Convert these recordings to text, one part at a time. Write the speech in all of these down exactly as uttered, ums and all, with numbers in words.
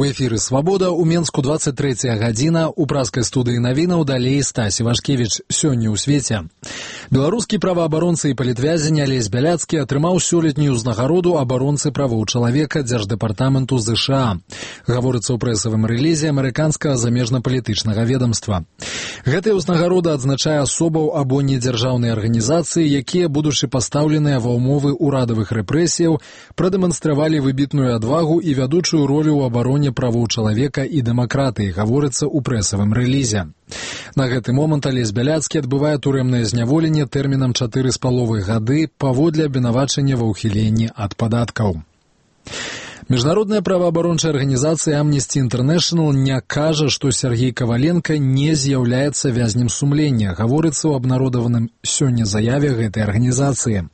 У эфіры «Свабода» у Менску двадцать трэцяя гадзіна, у праскай студыі навінаў далей Стась Івашкевіч. Сёння ў свеце. Беларускі праваабаронца і палітвязень Алесь Бяляцкі атрымаў сёлетнюю ўзнагароду абаронцы правоў чалавека Дзярждэпартаменту ЗША. Гаворыцца ў прэсавым рэлізе амерыканскага замежна-палітычнага ведамства. Гэтая ўзнагарода адзначае асобаў або недзяржаўныя арганізацыі, якія, будучы пастаўленыя ва ўмовы ўрадавых рэпрэсіяў, прадэманстравалі выбітную адвагу і вядучую ролю ў абароне правоў чалавека і дэмакратыі, гаворыцца ў прэсавым рэлізе. На гэты момант Алесь Бяляцкі адбывае турэмнае зняволенне тэрмінам чатыры з паловай гады паводле абвінавачання ва ўхіленні ад падаткаў. Міжнародная праваабарончая арганізацыя Amnesty International не кажа, што Сергей Каваленка не з'яўляецца вязнем сумлення, гаворыцца ў абнародаваным сёння заяве гэтай арганізацыі.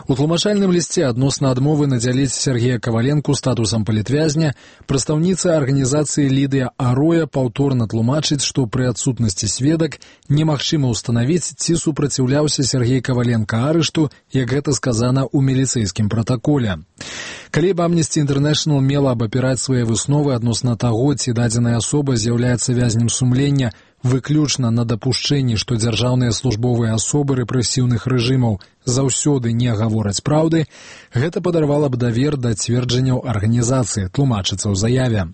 У тлумачальным лісце адносна адмовы надзяліць Сергея Каваленку статусам палітвязня прадстаўніца арганізацыі Лідыя Ароя паўторна тлумачыць, што пры адсутнасці сведак немагчыма ўстанавіць, ці супраціўляўся Сергей Каваленка арышту, як гэта сказана ў міліцэйскім пратаколе. Калі б Amnesty International мела абапіраць свае высновы адносна таго, ці дадзеная асоба з'яўляецца вязнем сумлення, выключна на дапушчэнні, што дзяржаўныя службовыя асобы рэпрэсіўных рэжымаў заўсёды не гавораць праўды, гэта падарвала б давер да цверджанняў арганізацыі, тлумачыцца ў заяве.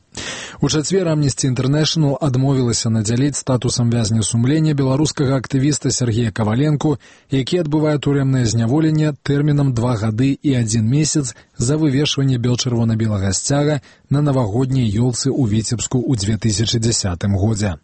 У чацвер Amnesty International адмовілася надзяліць статусам вязня сумлення беларускага актывіста Сергея Каваленку, які адбывае турэмнае зняволенне тэрмінам два гады і адзін месяц за вывешванне бел-чырвона-белага сцяга на навагодняй ёлцы ў Віцебску ў две тысячы дзесятым годзе.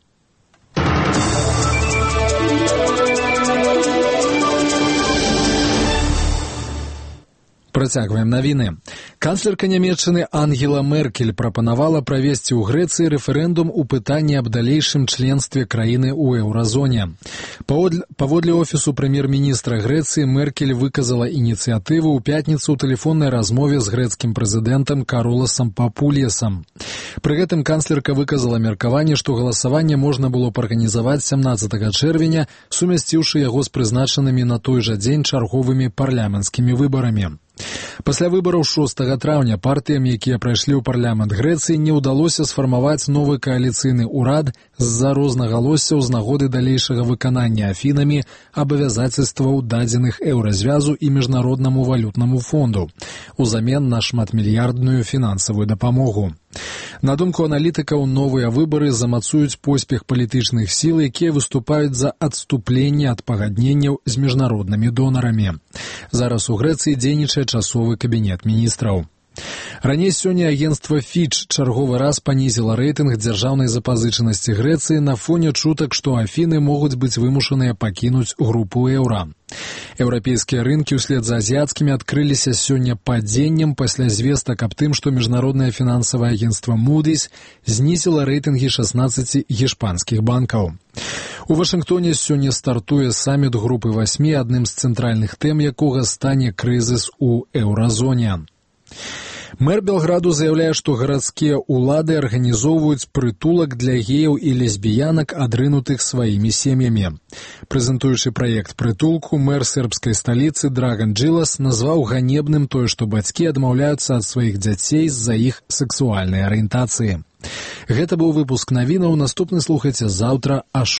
Працягваем навіны. Канцлерка Нямецчыны Ангела Меркель прапанавала правесці ў Грэцыі рэферэндум у пытанні аб далейшым членстве краіны ў еўразоне. Паводле офісу прэм'ер-міністра Грэцыі Меркель выказала ініцыятыву ў пятніцу ў тэлефоннай размове з грэцкім прэзідэнтам Кароласам Папуліясам. Пры гэтым канцлерка выказала меркаванне, што галасаванне можна было б арганізаваць сямнаццатага чэрвеня, сумясціўшы яго з прызначанымі на той жа дзень чарговымі парламенцкімі выбарамі. Пасля выбараў шостага траўня партыям, якія прайшлі ў парламент Грэцыі, не ўдалося сфармаваць новы кааліцыйны ўрад з-за рознагалоссяў з нагоды далейшага выканання Афінамі абавязацельстваў дадзеных еўразвязу і міжнароднаму валютнаму фонду узамен на шматмільярдную фінансавую дапамогу. На думку аналітыкаў, новыя выбары замацуюць поспех палітычных сіл, якія выступаюць за адступленне ад пагадненняў з міжнароднымі донарамі. Зараз у Грэцыі дзейнічае часовы кабінет міністраў. Раней сёння агенцтва Фіч чарговы раз панізіла рэйтынг дзяржаўнай запазычанасці Грэцыі на фоне чутак, што Афіны могуць быць вымушаныя пакінуць групу еўра. Еўрапейскія рынкі ўслед за азіяцкімі адкрыліся сёння падзеннем пасля звестак аб тым, што міжнароднае фінансавае агенцтва Moody's знізіла рэйтынгі шаснаццаці гішпанскіх банкаў. У Вашынгтоне сёння стартуе саміт групы васьмі, адным з цэнтральных тэм якога стане крызіс у еўразоне. Мэр Белграду заяўляе, што гарадскія ўлады арганізоўваюць прытулак для геяў і лесбіянак, адрынутых сваімі сем'ямі. Прэзентуючы праект прытулку, мэр сербскай сталіцы Драган Джилас назваў ганебным тое, што бацькі адмаўляюцца ад сваіх дзяцей з-за іх сексуальнай арыентацыі. Гэта быў выпуск навінаў, наступны слухайце заўтра аж